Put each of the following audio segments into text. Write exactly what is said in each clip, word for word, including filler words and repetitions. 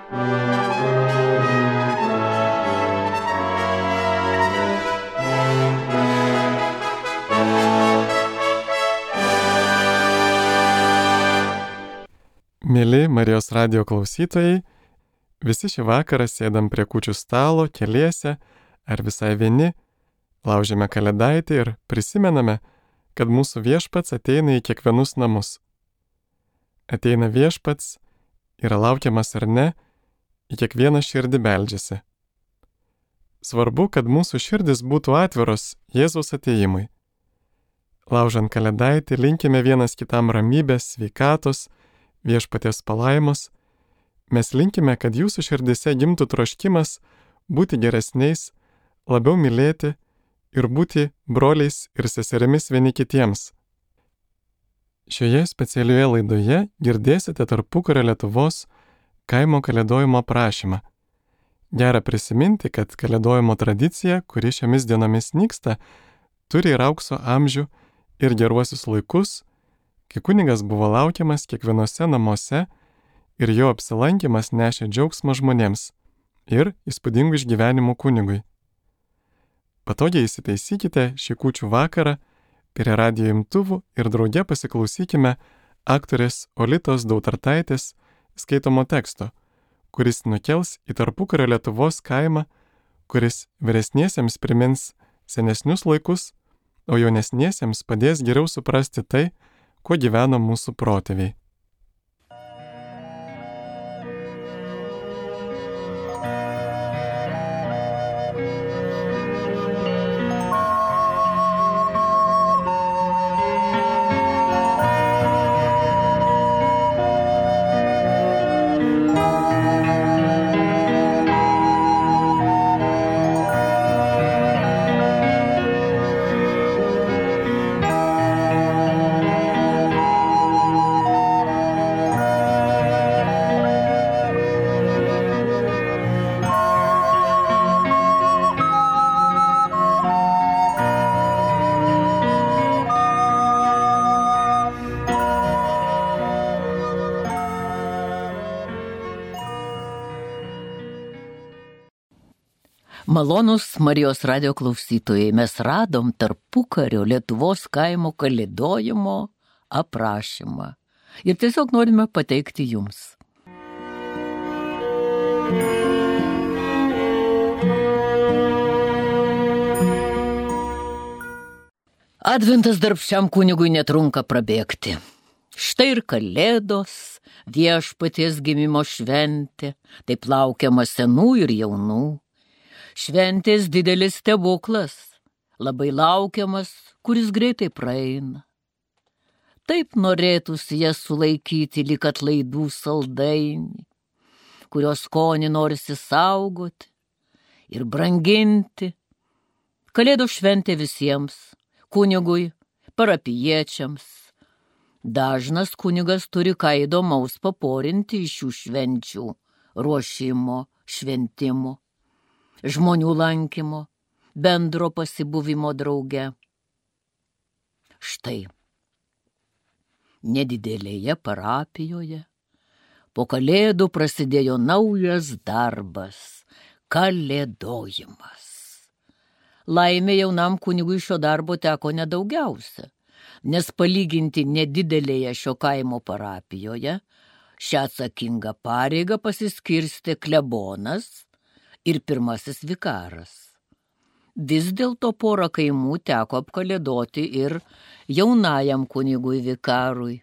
Mėly Marijos radijo klausytojai, visi šį vakarą sėdam prie kūčių stalo, keliese ar visai vieni, laužiame kalėdaitį ir prisimename, kad mūsų viešpats ateina į kiekvienus namus. Ateina viešpats, yra laukiamas ar ne, į kiekvieną širdį beldžiasi. Svarbu, kad mūsų širdis būtų atviros Jėzaus atėjimui. Laužant kalėdaitį linkime vienas kitam ramybės, sveikatos, viešpaties palaimos. Mes linkime, kad jūsų širdise gimtų troškimas būti geresniais, labiau mylėti ir būti broliais ir seserimis vieni kitiems. Šioje specialioje laidoje girdėsite tarpukario Lietuvos kaimo kalėdojimo aprašymą. Gera prisiminti, kad kalėdojimo tradicija, kuri šiomis dienomis nyksta, turi ir aukso amžių ir geruosius laikus, kai kunigas buvo laukiamas kiekvienose namuose ir jo apsilankimas nešė džiaugsmą žmonėms ir įspūdingų išgyvenimų kunigui. Patogiai įsitaisykite šį kūčių vakarą prie radijo imtuvų ir drauge pasiklausykime aktorės Olitos Dautartaitės skaitomo teksto, kuris nukels į tarpukario Lietuvos kaimą, kuris vyresniesiems primins senesnius laikus, o jaunesniesiems padės geriau suprasti tai, kuo gyveno mūsų protėviai. Malonūs Marijos radijo klausytojai, mes radom tarpukario Lietuvos kaimo kalėdojimo aprašymą ir tiesiog norime pateikti jums. Adventas darbščiam kunigui netrunka prabėgti. Štai ir kalėdos, viešpaties gimimo šventė, taip laukiama senų ir jaunų. Šventės didelis stebuklas, labai laukiamas, kuris greitai praeina. Taip norėtųsi jas sulaikyti lyg atlaidų saldainį, kurios skonį norisi saugoti ir branginti. Kalėdų šventė visiems, kunigui, parapijiečiams. Dažnas kunigas turi ką įdomaus paporinti iš šių švenčių, ruošimo, šventimo, žmonių lankymo, bendro pasibuvimo drauge. Štai, nedidelėje parapijoje po kalėdų prasidėjo naujas darbas – kalėdojimas. Laimė jaunam kunigui šio darbo teko nedaugiausia, nes palyginti nedidelėje šio kaimo parapijoje šią atsakingą pareigą pasiskirstė klebonas ir pirmasis vikaras. Vis dėlto porą kaimų teko apkalėdoti ir jaunajam kunigui vikarui.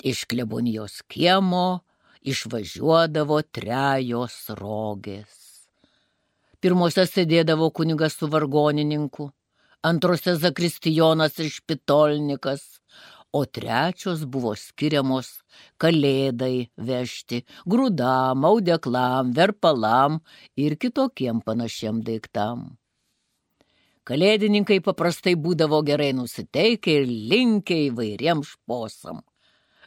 Iš klebonijos kiemo išvažiuodavo trejos rogės. Pirmose sėdėdavo kunigas su vargonininku, antrose zakristijonas ir špitolnikas, o trečios buvo skiriamos kalėdai vežti, grūdam, audeklam, verpalam ir kitokiem panašiem daiktam. Kalėdininkai paprastai būdavo gerai nusiteikę ir linkę įvairiem šposam.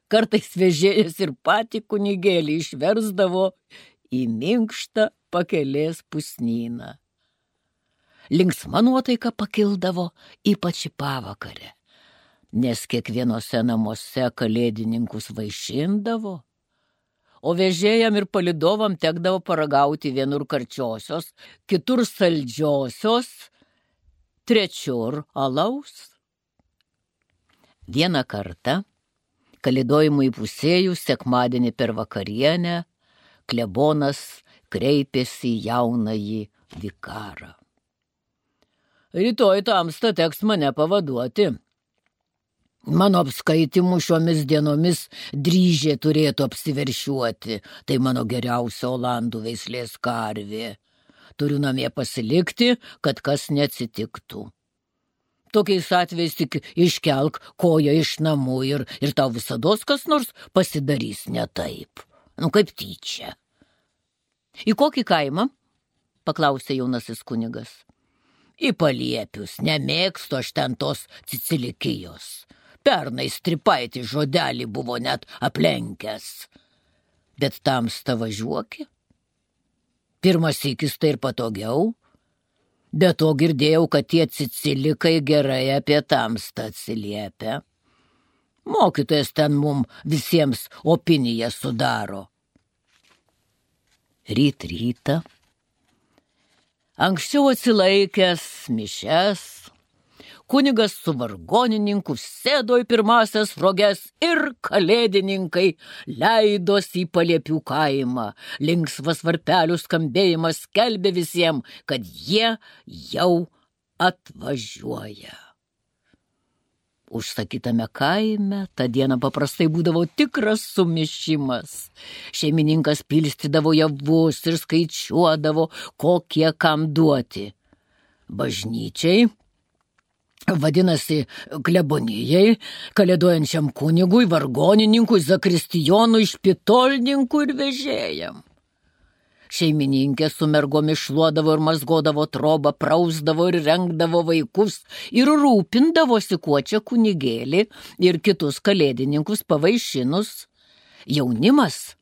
Kartais vežėjas ir patį kunigėlį išversdavo į minkštą pakelės pusnyną. Linksma nuotaika pakildavo ypač į pavakarę, nes kiekvienose namuose kalėdininkus vaišindavo, o vežėjam ir palidovam tekdavo paragauti vienur karčiosios, kitur saldžiosios, trečiur alaus. Vieną kartą, kalėdojimui įpusėjus sekmadienį per vakarienę, klebonas kreipėsi į jaunąjį vikarą. Rytoj tamsta teks mane pavaduoti. Mano apskaitimų šiomis dienomis dryžė turėtų apsiveršiuoti, tai mano geriausia olandų veislės karvė. Turiu namie pasilikti, kad kas neatsitiktų. Tokiais atvejais tik iškelk koją iš namų ir, ir tau visados kas nors pasidarys ne taip. Nu, kaip tyčia. Į kokį kaimą? Paklausė jaunasis kunigas. Į Paliepius, nemėgstu aš ten tos Cicilikijos. Pernai stripaitį žodelį buvo net aplenkęs. Bet tamsta važiuoki. Pirmas sykis tai ir patogiau. Be to girdėjau, kad tie Cicilikai gerai apie tamstą atsiliepia. Mokytojas ten mum visiems opiniją sudaro. Ryt rytą. Anksčiau atsilaikęs mišes, kunigas su vargonininku sėdo į pirmasias roges ir kalėdininkai leidosi į Paliepių kaimą. Linksmas varpelių skambėjimas skelbė visiems, kad jie jau atvažiuoja. Užsakytame kaime tą dieną paprastai būdavo tikras sumišimas. Šeimininkas pilstydavo javus ir skaičiuodavo, kokie kam duoti. Bažnyčiai, vadinasi klebonijai, kalėdojančiam kunigui, vargonininkui, zakristijonui, špitolninkui ir vežėjam. Šeimininkė su mergomis šluodavo ir mazgodavo trobą, prausdavo ir rengdavo vaikus ir rūpindavosi kuo čia kunigėlį ir kitus kalėdininkus pavaišinus. Jaunimas,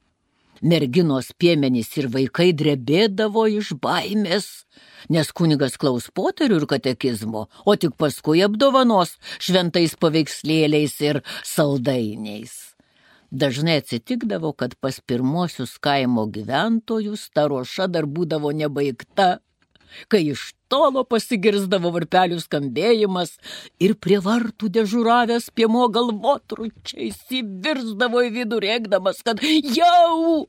merginos, piemenys ir vaikai drebėdavo iš baimės, nes kunigas klaus poterių ir katekizmo, o tik paskui apdovanos šventais paveikslėliais ir saldainiais. Dažnai atsitikdavo, kad pas pirmosius kaimo gyventojus ta ruoša dar būdavo nebaigta, kai iš tolo pasigirzdavo varpelių skambėjimas ir prie vartų dežuravęs piemo galvotručiais įvirsdavo į vidų rėkdamas, kad jau...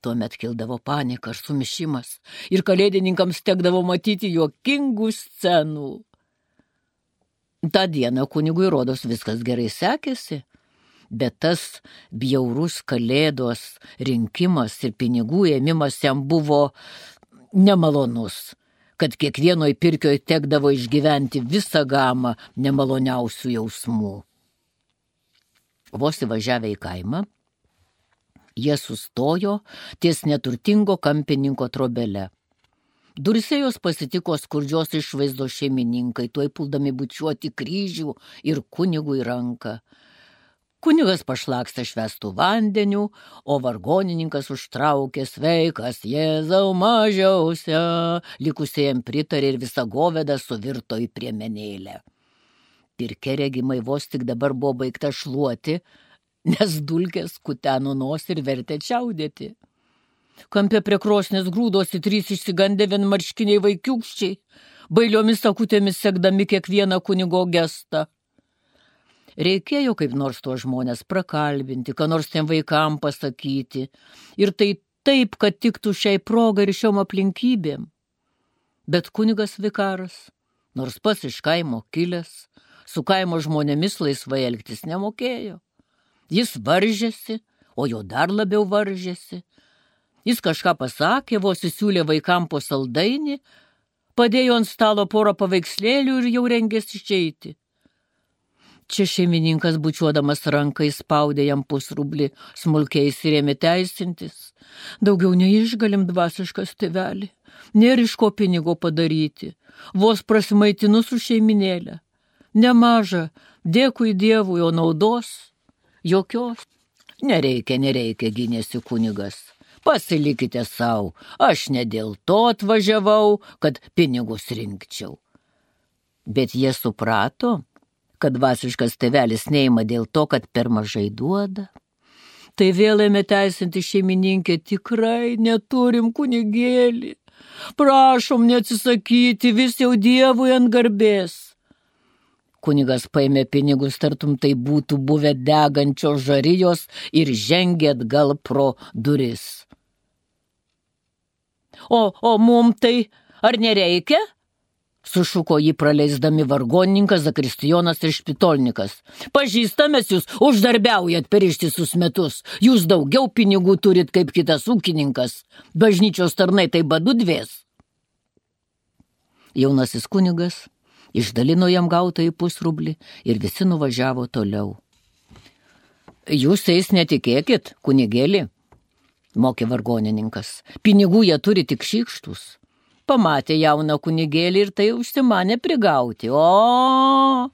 Tuomet kildavo panika ir sumišimas ir kalėdininkams tekdavo matyti juokingų scenų. Ta diena kunigui rodos viskas gerai sekėsi. Bet tas bjaurus kalėdos rinkimas ir pinigų ėmimas jam buvo nemalonus, kad kiekvienoj pirkioj tekdavo išgyventi visą gamą nemaloniausių jausmų. Vos įvažiavę į kaimą, jie sustojo ties neturtingo kampininko trobele. Duryse jos pasitiko skurdžios išvaizdos šeimininkai, tuoj puldami bučiuoti kryžių ir kunigui ranką. Kunigas pašlakstė švestų vandeniu, o vargonininkas užtraukė sveikas Jėzau mažiausia, likusiem pritarė ir visa goveda suvirto į priemenėlę. Pirke regimai vos tik dabar buvo baigta šluoti, nes dulkės kuteno nosį ir vertė čiaudėti. Kampe prie krosnės grūdosi trys išsigandę vienmarškiniai vaikiūkščiai, bailiomis akutėmis sekdami kiekvieną kunigo gestą. Reikėjo kaip nors tuos žmonės prakalbinti, ką nors tiem vaikam pasakyti. Ir tai taip, kad tiktų šiai progai ir šiom aplinkybėm. Bet kunigas vikaras, nors pats iš kaimo kilęs, su kaimo žmonėmis laisvai elgtis nemokėjo. Jis varžėsi, o jo dar labiau varžėsi. Jis kažką pasakė, vos įsiūlė vaikam po saldainį, padėjo ant stalo porą paveikslėlių ir jau rengėsi išeiti. Čia šeimininkas bučiuodamas rankai spaudė jam pusrublį, smulkiais ir ėmė teisintis. Daugiau neišgalim dvasiškas tėvelį, nėra iš ko pinigo padaryti, vos prasimaitinu su šeiminėlė. Nemaža, dėkui Dievui, o naudos jokios. Nereikia, nereikia, gynėsi kunigas. Pasilikite savo, aš ne dėl to atvažiavau, kad pinigus rinkčiau. Bet jie suprato, kad dvasiškas tėvelis neima dėl to, kad per mažai duoda. Tai vėl ėmė teisinti šeimininkė, tikrai neturim kunigėlį. Prašom neatsisakyti, vis jau Dievui ant garbės. Kunigas paėmė pinigus, tartum tai būtų buvę degančios žarijos ir žengė atgal pro duris. O, o mum tai ar nereikia? Sušuko jį praleisdami vargonininkas, zakristijonas ir špitolnikas. Pažįstamės jūs, uždarbiaujat per ištisus metus. Jūs daugiau pinigų turit kaip kitas ūkininkas. Bažnyčios tarnai tai badu dvės. Jaunasis kunigas išdalino jam gautą į pusrublį ir visi nuvažiavo toliau. Jūs eis netikėkit, kunigėlį, mokė vargonininkas. Pinigų jie turi tik šykštus. Pamatė jauną kunigėlį ir tai užsimanė prigauti. O,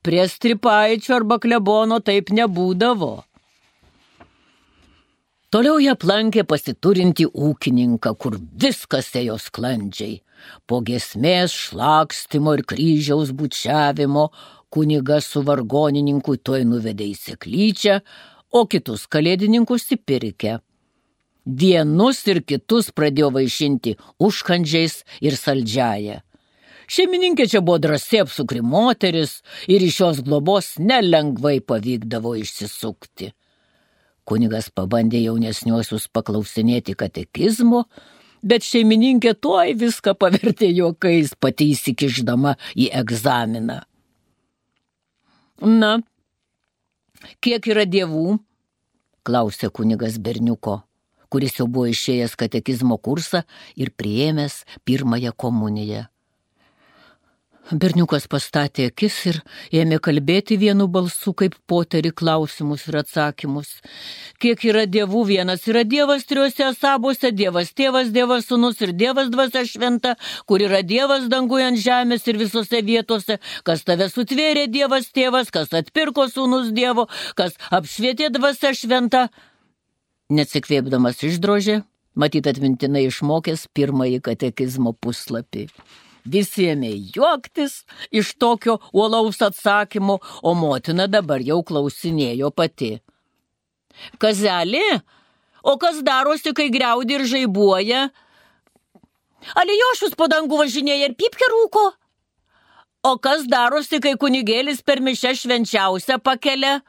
prie stripaičio arba klebono taip nebūdavo. Toliau jie aplankė pasiturinti ūkininką, kur viskas ėjo sklandžiai. Po giesmės, šlakstimo ir kryžiaus bučiavimo kunigas su vargonininku tuoj nuvedė į seklyčią, o kitus kalėdininkus įpirkę. Dienus ir kitus pradėjo vaišinti užkandžiais ir saldžiaja. Šeimininkė čia buvo drąsi apsukri moteris ir iš jos globos nelengvai pavykdavo išsisukti. Kunigas pabandė jaunesniuosius paklausinėti katekizmo, bet šeimininkė tuoj viską pavertė juokais, pati įsikišdama į egzaminą. Na, kiek yra dievų? Klausė kunigas berniuko, kuris jau buvo išėjęs katekizmo kursą ir priėmęs pirmąją komuniją. Berniukas pastatė akis ir ėmė kalbėti vienu balsu kaip poteri klausimus ir atsakymus. Kiek yra dievų? Vienas yra Dievas trijuose asabuose, Dievas tėvas, Dievas sūnus ir Dievas dvasia šventa, kur yra Dievas danguje ant žemės ir visose vietose, kas tave sutvėrė Dievas tėvas, kas atpirko sūnus Dievo, kas apšvietė dvasia šventa. Neatsikvėpdamas išdrožė, matyt atmintinai išmokęs pirmąjį katekizmo puslapį. Visi ėmė juoktis iš tokio uolaus atsakymo, o motina dabar jau klausinėjo pati. Kazelė, o kas darosi, kai griaudi ir žaibuoja? Alijošius po dangų važinėja ir pypkę rūko? O kas darosi, kai kunigėlis per mišią švenčiausią pakelia?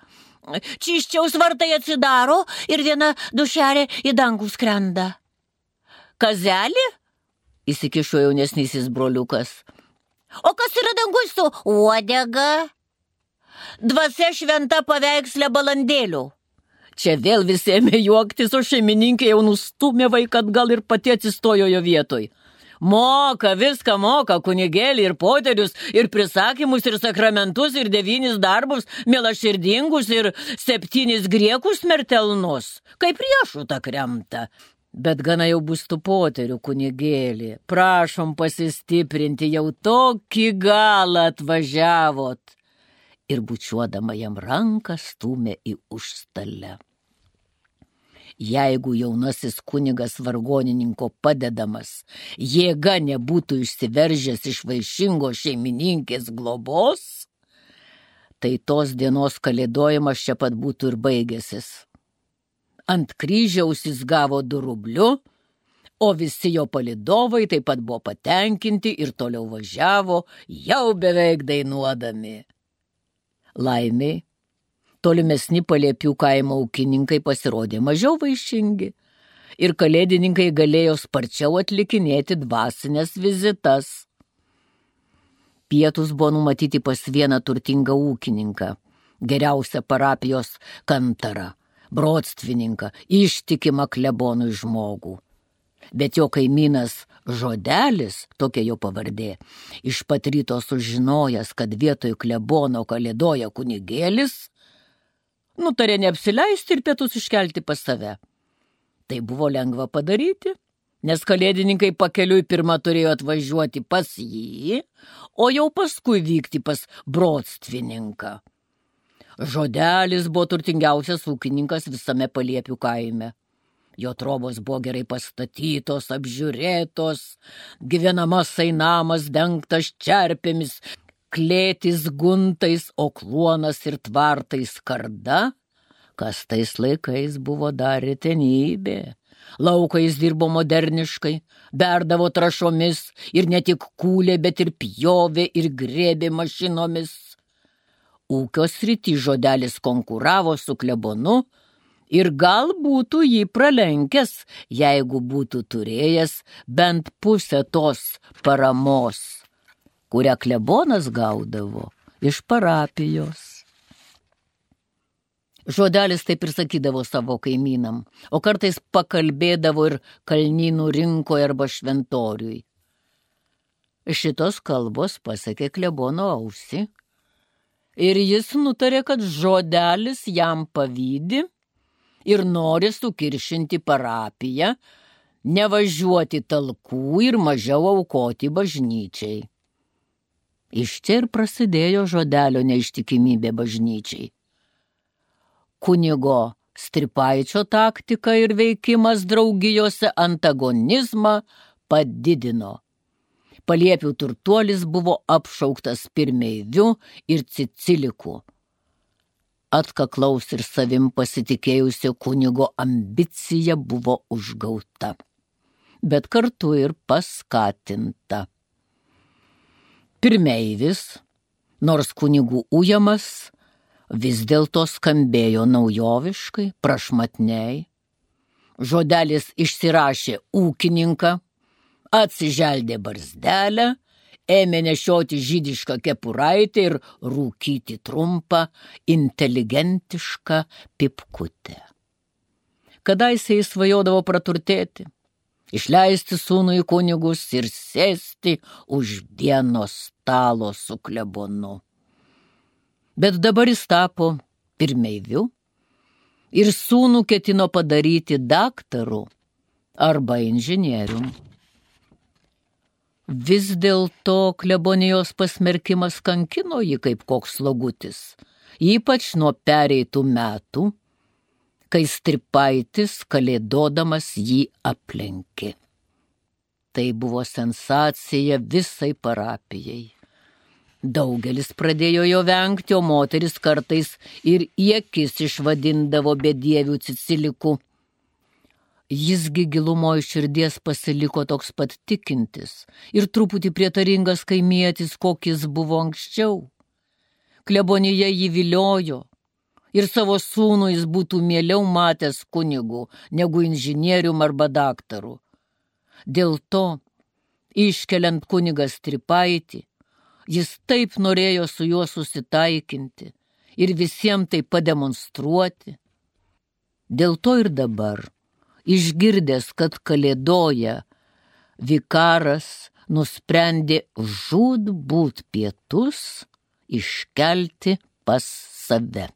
Čiščiaus vartai atsidaro ir viena dušelė į dangų skrenda. Kazelė? Įsikišo jaunesnysis broliukas. O kas yra danguj su uodega? Dvasia šventa paveikslė balandėlių. Čia vėl visi ėmė juoktis, o šeimininkė jau nustūmė vaiką atgal ir pati atsistojo jo vietoj. Moka, viską moka, kunigėlį ir poterius, ir prisakymus, ir sakramentus, ir devynis darbus, mielaširdingus, ir septynis griekus mertelnus, kaip riešutą kremta. Bet gana jau bus tų poterių, kunigėlį. Prašom pasistiprinti, jau tokį galą atvažiavot. Ir bučiuodama jam ranką stūmė į užstalę. Jeigu jaunasis kunigas vargonininko padedamas jėga nebūtų išsiveržęs iš vaišingos šeimininkės globos, tai tos dienos kalėdojimas čia pat būtų ir baigęsis. Ant kryžiaus jis gavo du rublių, o visi jo palydovai taip pat buvo patenkinti ir toliau važiavo, jau beveik dainuodami. Laimiai, tolimesni Paliepių kaimo ūkininkai pasirodė mažiau vaišingi ir kalėdininkai galėjo sparčiau atlikinėti dvasinės vizitas. Pietus buvo numatyti pas vieną turtingą ūkininką, geriausią parapijos kantarą, broctvininką, ištikimą klebonui žmogų. Bet jo kaimynas Žodelis, tokia jo pavardė, iš pat ryto sužinojęs, kad vietoj klebono kalėdoja kunigėlis, nutarė neapsileisti ir pietus iškelti pas save. Tai buvo lengva padaryti, nes kalėdininkai pakeliui pirmą turėjo atvažiuoti pas jį, o jau paskui vykti pas broctvininką. Žodelis buvo turtingiausias ūkininkas visame Paliepių kaime. Jo trobos buvo gerai pastatytos, apžiūrėtos, gyvenamasai namas dengtas čerpėmis, klėtis guntais, o kluonas ir tvartai skarda, kas tais laikais buvo dar retenybė. Laukais dirbo moderniškai, berdavo trašomis ir ne tik kūlė, bet ir pjovė ir grėbė mašinomis. Ūkio srity Žodelis konkuravo su klebonu ir gal būtų jį pralenkęs, jeigu būtų turėjęs bent pusę tos paramos, kurią klebonas gaudavo iš parapijos. Žodelis taip ir sakydavo savo kaimynam, o kartais pakalbėdavo ir kalnynų rinkoje arba šventoriui. Šitos kalbos pasiekė klebono ausį ir jis nutarė, kad Žodelis jam pavydi ir nori sukiršinti parapiją, nevažiuoti talkų ir mažiau aukoti bažnyčiai. Iš čia ir prasidėjo Žodelio neištikimybė bažnyčiai. Kunigo Stripaičio taktika ir veikimas draugijose antagonizmą padidino. Paliepių turtuolis buvo apšauktas pirmeiviu ir ciciliku. Atkaklaus ir savim pasitikėjusio kunigo ambicija buvo užgauta, bet kartu ir paskatinta. Pirmeivis, nors kunigų ujamas, vis dėlto skambėjo naujoviškai, prašmatniai. Žodelis išsirašė ūkininką, atsiželdė barzdelę, ėmė nešioti žydišką kepuraitę ir rūkyti trumpą, inteligentišką pipkutę. Kadaise jis svajodavo praturtėti, išleisti sūnų į kunigus ir sėsti už vieno stalo su klebonu. Bet dabar jis tapo pirmeiviu ir sūnų ketino padaryti daktaru arba inžinierium. Vis dėlto klebonijos pasmerkimas kankino jį kaip koks slogutis, ypač nuo pereitų metų, kai Stripaitis kalėdodamas jį aplenkė. Tai buvo sensacija visai parapijai. Daugelis pradėjo jo vengti, o moteris kartais ir į akis išvadindavo bedievių ciciliku. Jisgi gilumoje širdies pasiliko toks pat tikintis ir truputį prietaringas kaimietis, kokis buvo anksčiau. Klebonija jį viliojo ir savo sūnų jis būtų mieliau matęs kunigu negu inžinierium arba daktaru. Dėl to, iškeliant kunigą Stripaitį, jis taip norėjo su juo susitaikinti ir visiems tai pademonstruoti. Dėl to ir dabar, išgirdęs, kad kalėdoja, vikaras nusprendė žūtbūt pietus iškelti pas save.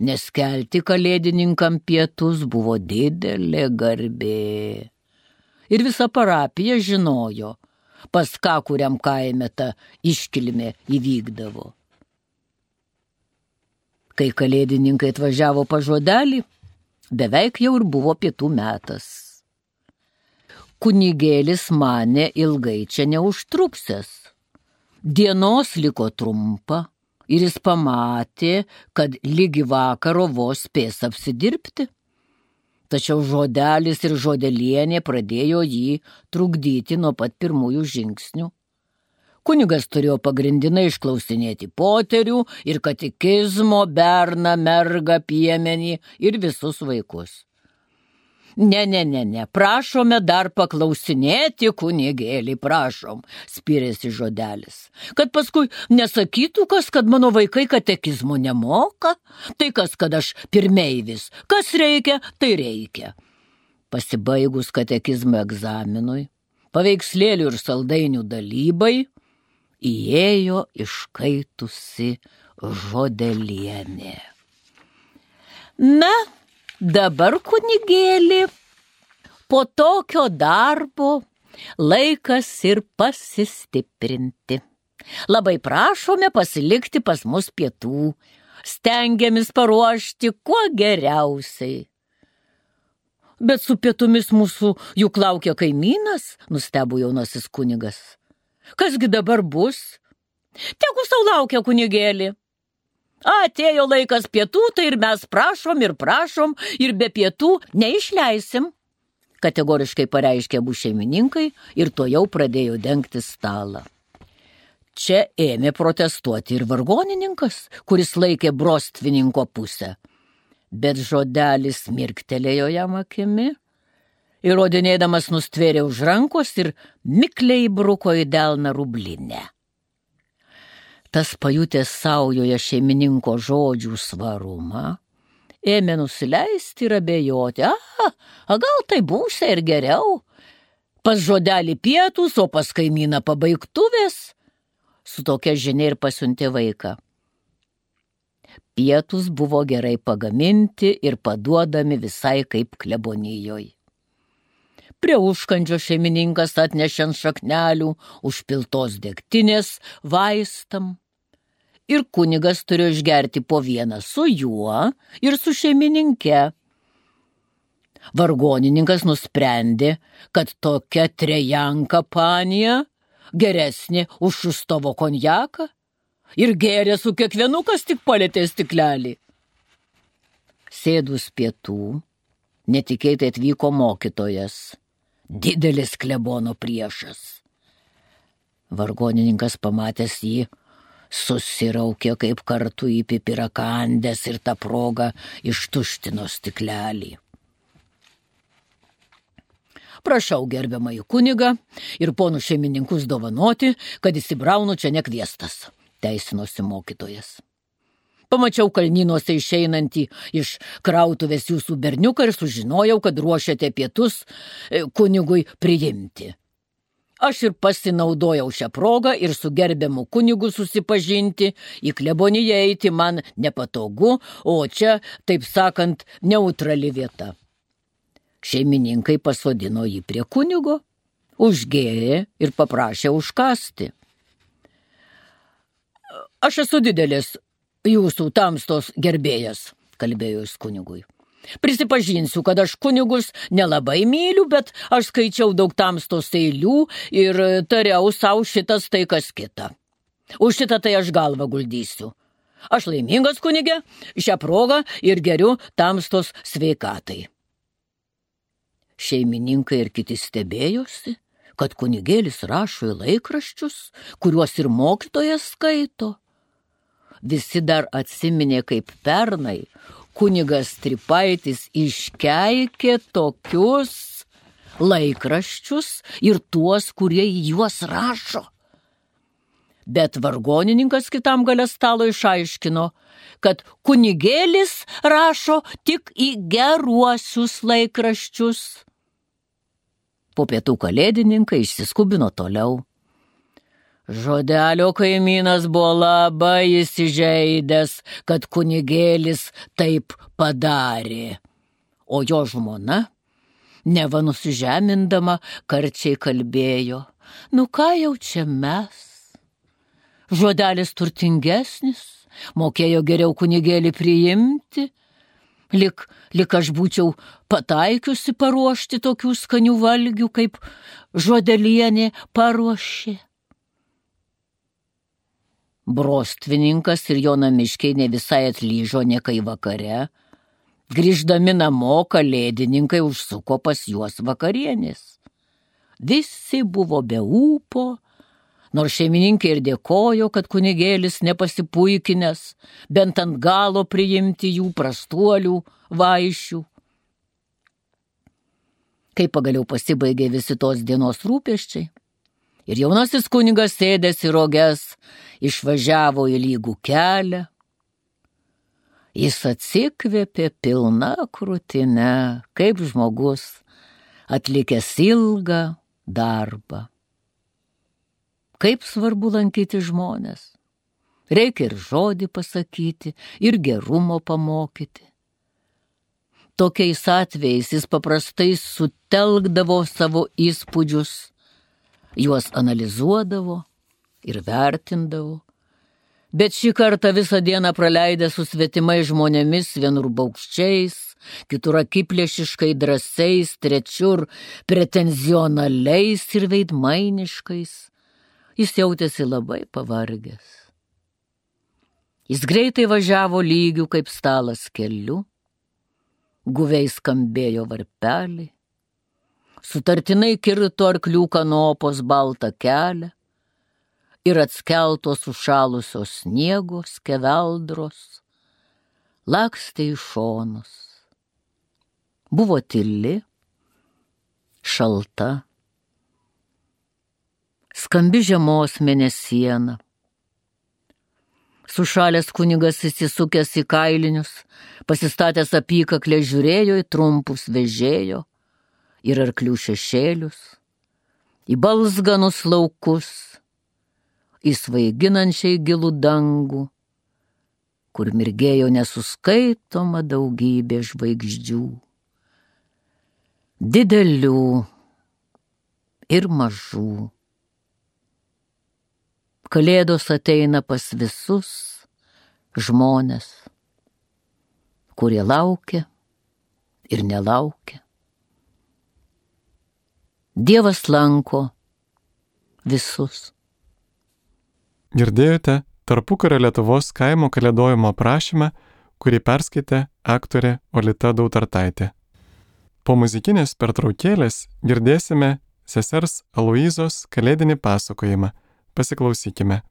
Nes kelti kalėdininkam pietus buvo didelė garbė. Ir visa parapija žinojo, pas ką kuriam kaime ta iškilmė įvykdavo. Kai kalėdininkai atvažiavo pas Žodelį, beveik jau ir buvo pietų metas. Kunigėlis manė ilgai čia neužtruksęs. Dienos liko trumpa ir jis pamatė, kad lygi vakaro vos spės apsidirbti. Tačiau Žodelis ir Žodelienė pradėjo jį trukdyti nuo pat pirmųjų žingsnių. Kunigas turėjo pagrindinai išklausinėti poterių ir katekizmo, berną, mergą, piemenį ir visus vaikus. Ne, ne, ne, ne, prašome dar paklausinėti, kunigėlį, prašom, spyrėsi Žodelis. Kad paskui nesakytų kas, kad mano vaikai katekizmo nemoka, tai kas, kad aš pirmeivis, kas reikia, tai reikia. Pasibaigus katekizmo egzaminui, paveikslėlių ir saldainių dalybai, įėjo iškaitusi Žodelienė. Na, dabar, kunigėli, po tokio darbo laikas ir pasistiprinti. Labai prašome pasilikti pas mus pietų, stengiamės paruošti kuo geriausiai. Bet su pietumis mūsų juk laukia kaimynas, nustebo jaunasis kunigas. Kasgi dabar bus? Tegu sau laukia, kunigėli. Atėjo laikas pietų, tai ir mes prašom ir prašom ir be pietų neišleisim, kategoriškai pareiškė abu šeimininkai ir to jau pradėjo dengti stalą. Čia ėmė protestuoti ir vargonininkas, kuris laikė brostvininko pusę. Bet žodelis mirktelėjo jam akimi, įrodinėdamas nustvėrė už rankos ir mikliai bruko į delną rublinę. Tas pajutęs saujoje šeimininko žodžių svarumą, ėmė nusileisti ir abejoti. A, a gal tai būsia ir geriau. Pas žodelį pietus, o pas kaimyną pabaigtuvės. Su tokia žinia ir pasiuntė vaiką. Pietus buvo gerai pagaminti ir paduodami visai kaip klebonijoj. Prie užkandžio šeimininkas atnešė ant šaknelių užpiltos degtinės vaistam. Ir kunigas turėjo išgerti po vieną su juo ir su šeimininke. Vargonininkas nusprendė, kad tokia trejanka panija geresnė už Šustovo konjaką ir gėrė su kiekvienu, kas tik palėtė stiklelį. Sėdus pietų, netikėtai atvyko mokytojas, didelis klebono priešas. Vargonininkas pamatęs jį, susiraukė kaip kartu į pipirakandės ir tą progą ištuštino stiklelį. Prašau gerbiamąjį kunigą ir ponų šeimininkus dovanoti, kad įsibraunu čia nekviestas, teisinosi mokytojas. Pamačiau kalnynuose išeinantį iš krautuvės jūsų berniuką ir sužinojau, kad ruošiate pietus kunigui priimti. Aš ir pasinaudojau šią progą ir su gerbiamu kunigu susipažinti, į kleboniją eiti man nepatogu, o čia, taip sakant, neutrali vieta. Šeimininkai pasodino jį prie kunigo, užgėrė ir paprašė užkasti. Aš esu didelis jūsų tamstos gerbėjas, kalbėjo jis kunigui. Prisipažinsiu, kad aš kunigus nelabai myliu, bet aš skaičiau daug tamstos eilių ir tariau savo šitas tai kas kita. Už šitą tai aš galvą guldysiu. Aš laimingas kunige, šią progą ir geriu tamstos sveikatai. Šeimininkai ir kiti stebėjosi, kad kunigėlis rašo į laikraščius, kuriuos ir mokytojas skaito. Visi dar atsiminė, kaip pernai kunigas Stripaitis iškeikė tokius laikraščius ir tuos, kurie į juos rašo. Bet vargonininkas kitam gale stalo išaiškino, kad kunigėlis rašo tik į geruosius laikraščius. Po pietų kalėdininkai išsiskubino toliau. Žodelio kaimynas buvo labai įsižeidęs, kad kunigėlis taip padarė, o jo žmona, neva nusižemindama, karčiai kalbėjo, nu ką jau čia mes? Žodelis turtingesnis, mokėjo geriau kunigėlį priimti, lik, lik aš būčiau pataikiusi paruošti tokių skanių valgių, kaip žodelienė paruošė. Brostvininkas ir jo namiškiai ne visai atlyžo niekai vakare. Grįždami namo, kalėdininkai užsuko pas juos vakarienės. Visi buvo be ūpo, nors šeimininkė ir dėkojo, kad kunigėlis nepasipuikinęs, bent ant galo priimti jų prastuolių vaišių. Kai pagaliau pasibaigė visi tos dienos rūpesčiai, ir jaunasis kunigas sėdęs į roges išvažiavo į lygų kelią, jis atsikvėpė pilna krūtine, kaip žmogus atlikęs ilgą darbą. Kaip svarbu lankyti žmones. Reikia ir žodį pasakyti, ir gerumo pamokyti. Tokiais atvejais jis paprastai sutelkdavo savo įspūdžius, juos analizuodavo ir vertindavo. Bet šį kartą visą dieną praleidę su svetimai žmonėmis, vienur baukščiais, kitur akiplėšiškai drąsiais, trečiur pretenzionaliais ir veidmainiškais, jis jautėsi labai pavargęs. Jis greitai važiavo lygių kaip stalas keliu, guviai skambėjo varpeliai, sutartinai kirto arklių kanopos baltą kelią ir atskeltos užšalusios sniego skeveldros lakstė į šonus. Buvo tyli, šalta, skambi žiemos mėnesiena. Sušalęs kunigas įsisukęs į kailinius, pasistatęs apykaklę žiūrėjo į trumpus vežėjo ir arklių šešėlius, į balzganus laukus, į svaiginančiai gilų dangų, kur mirgėjo nesuskaitoma daugybė žvaigždžių, didelių ir mažų. Kalėdos ateina pas visus žmones, kurie laukia ir nelaukia. Dievas lanko visus. Girdėjote tarpukario Lietuvos kaimo kalėdojimo aprašymą, kurį perskaitė aktorė Olita Dautartaitė. Po muzikinės pertraukėlės girdėsime sesers Aloyzos kalėdinį pasakojimą. Pasiklausykime.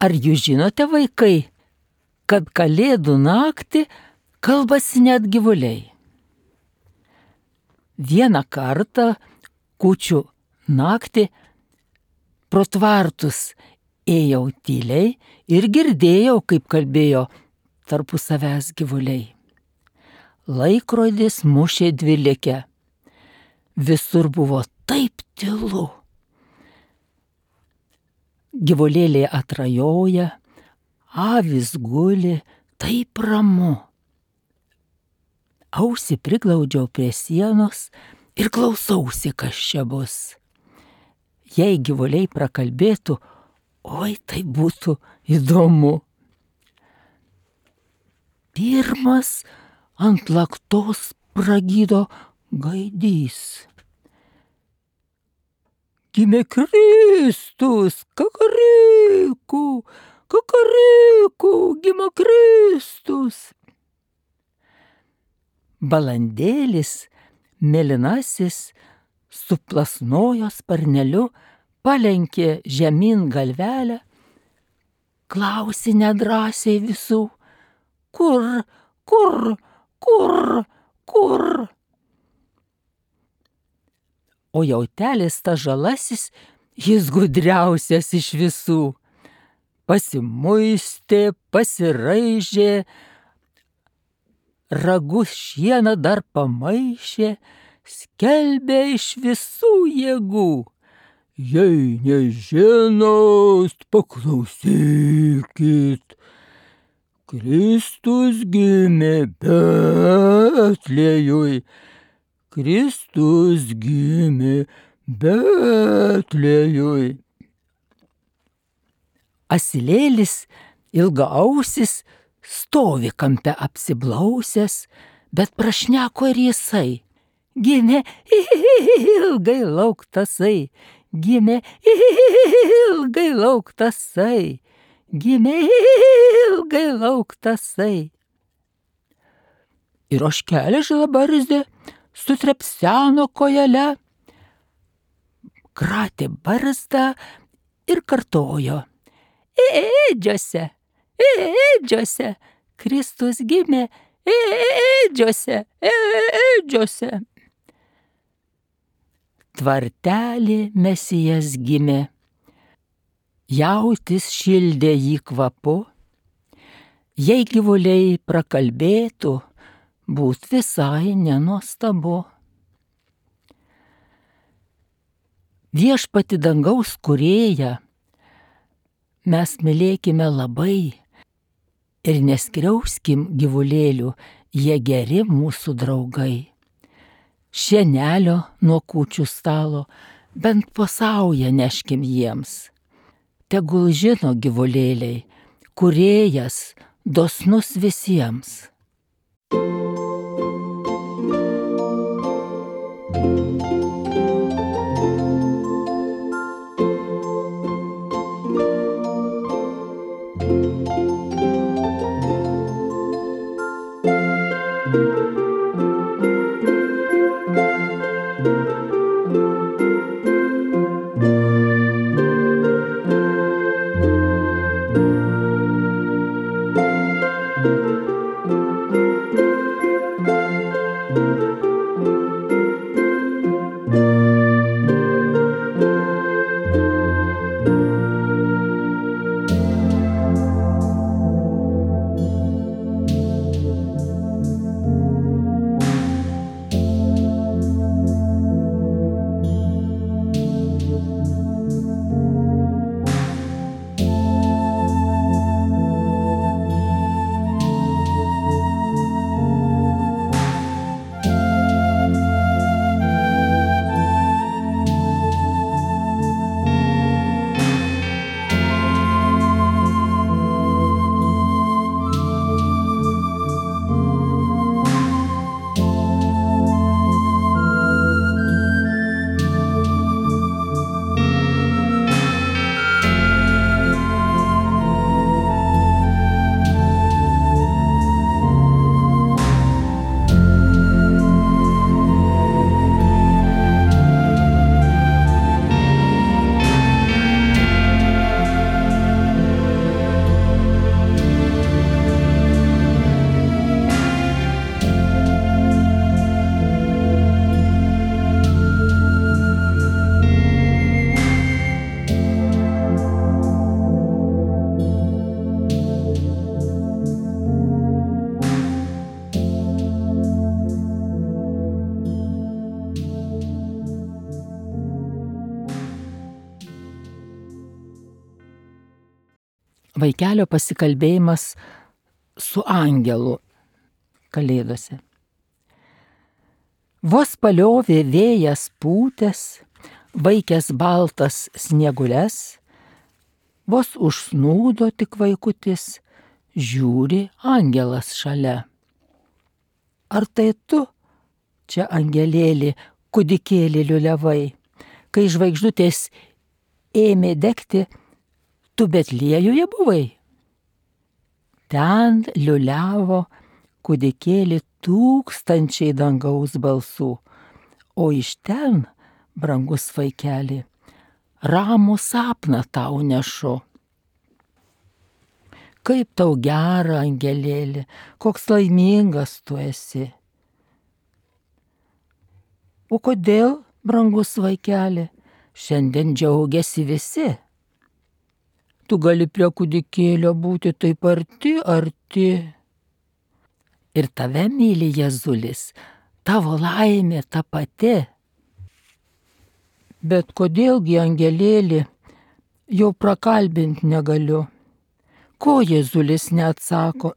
Ar jūs žinote, vaikai, kad kalėdų naktį kalbasi net gyvuliai? Vieną kartą kūčių naktį pro tvartus ėjau tyliai ir girdėjau, kaip kalbėjo tarpu savęs gyvuliai. Laikrodis mušė dvylikę. Visur buvo taip tylu. Gyvulėliai atrajoja, avys guli, taip ramu. Ausį priglaudžiau prie sienos ir klausausi, kas čia bus. Jei gyvuliai prakalbėtų, oi, tai būtų įdomu. Pirmas ant laktos pragydo gaidys. Gimė Kristus, kakaryku, kakaryku, gimė Kristus. balandėlis, mėlynasis, su plasnojo sparneliu, palenkė žemyn galvelę, klausė nedrąsiai visų, kur, kur, kur, kur. O jautelis ta žalasis, jis gudriausias iš visų. Pasimuistė, pasiraižė, ragus šieną dar pamaišė, skelbė iš visų jėgų. Jei nežinot, paklausykit, Kristus gimė Betlėjui, Kristus gimė Betlėjui. Asilėlis ilgaausis stovi kampe apsiblausęs, bet prašneko ir jisai. Gimė ilgai lauktasai, gimė ilgai lauktasai, gimė ilgai lauktasai. Ir ožkelė žilabardė sutrepseno kojele, kratė barzdą ir kartojo. Ėdžiose, ėdžiose, Kristus gimė, ėdžiose, ėdžiose. Tvartelį Mesijas gimė, jautis šildė jį kvapu, jei gyvuliai prakalbėtų, būt visai nenuostabu. Viešpati dangaus kūrėją mes mylėkime labai ir neskriauskim gyvulėlių, jie geri mūsų draugai. Šienelio nuo kūčių stalo bent po saują neškim jiems. Tegul žino gyvulėliai, kūrėjas dosnus visiems. Vaikelio pasikalbėjimas su angelu kalėdose. Vos paliovė vėjas pūtęs, vaikęs baltas sniegules, vos užsnūdo tik vaikutis, žiūri angelas šalia. Ar tai tu, čia angelėlį, kūdikėlį liuliavai, kai žvaigždutės ėmė degti, tu Betliejuje buvai? Ten liuliavo kūdikėlį tūkstančiai dangaus balsų, o iš ten, brangus vaikeli, ramų sapną tau nešu. Kaip tau gera, angelėli, koks laimingas tu esi. O kodėl, brangus vaikeli, šiandien džiaugiasi visi? Tu gali prie kūdikėlio būti taip arti, arti. Ir tave myli Jėzulis, tavo laimė ta pati. Bet kodėlgi, angelėli, jau prakalbint negaliu? Ko Jėzulis neatsako,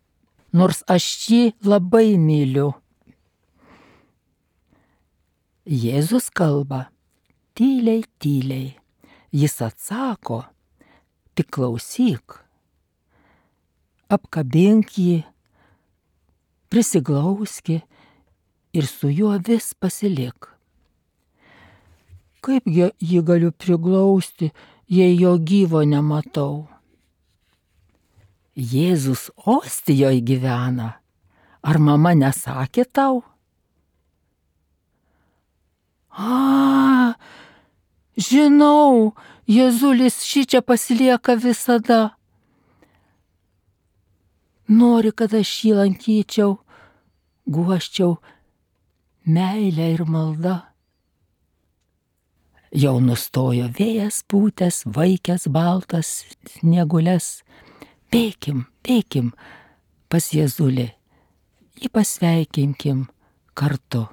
nors aš jį labai myliu? Jėzus kalba tyliai, tyliai. Jis atsako, tik klausyk. Apkabink jį, prisiglauski ir su juo vis pasilik. Kaip jį galiu priglausti, jei jo gyvo nematau? Jėzus Ostijoje gyvena. Ar mama nesakė tau? A, žinau, Jėzulis šičia pasilieka visada. Nori, kad aš jį lankyčiau, guoščiau meilę ir maldą. Jau nustojo vėjas pūtęs, vaikęs baltas sniegules. Bėkim, bėkim pas Jėzulį, jį pasveikinkim kartu.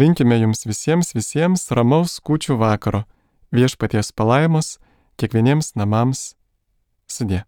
Linkime jums visiems visiems ramaus kūčių vakaro, viešpaties palaimos kiekvieniems namams. Sudie.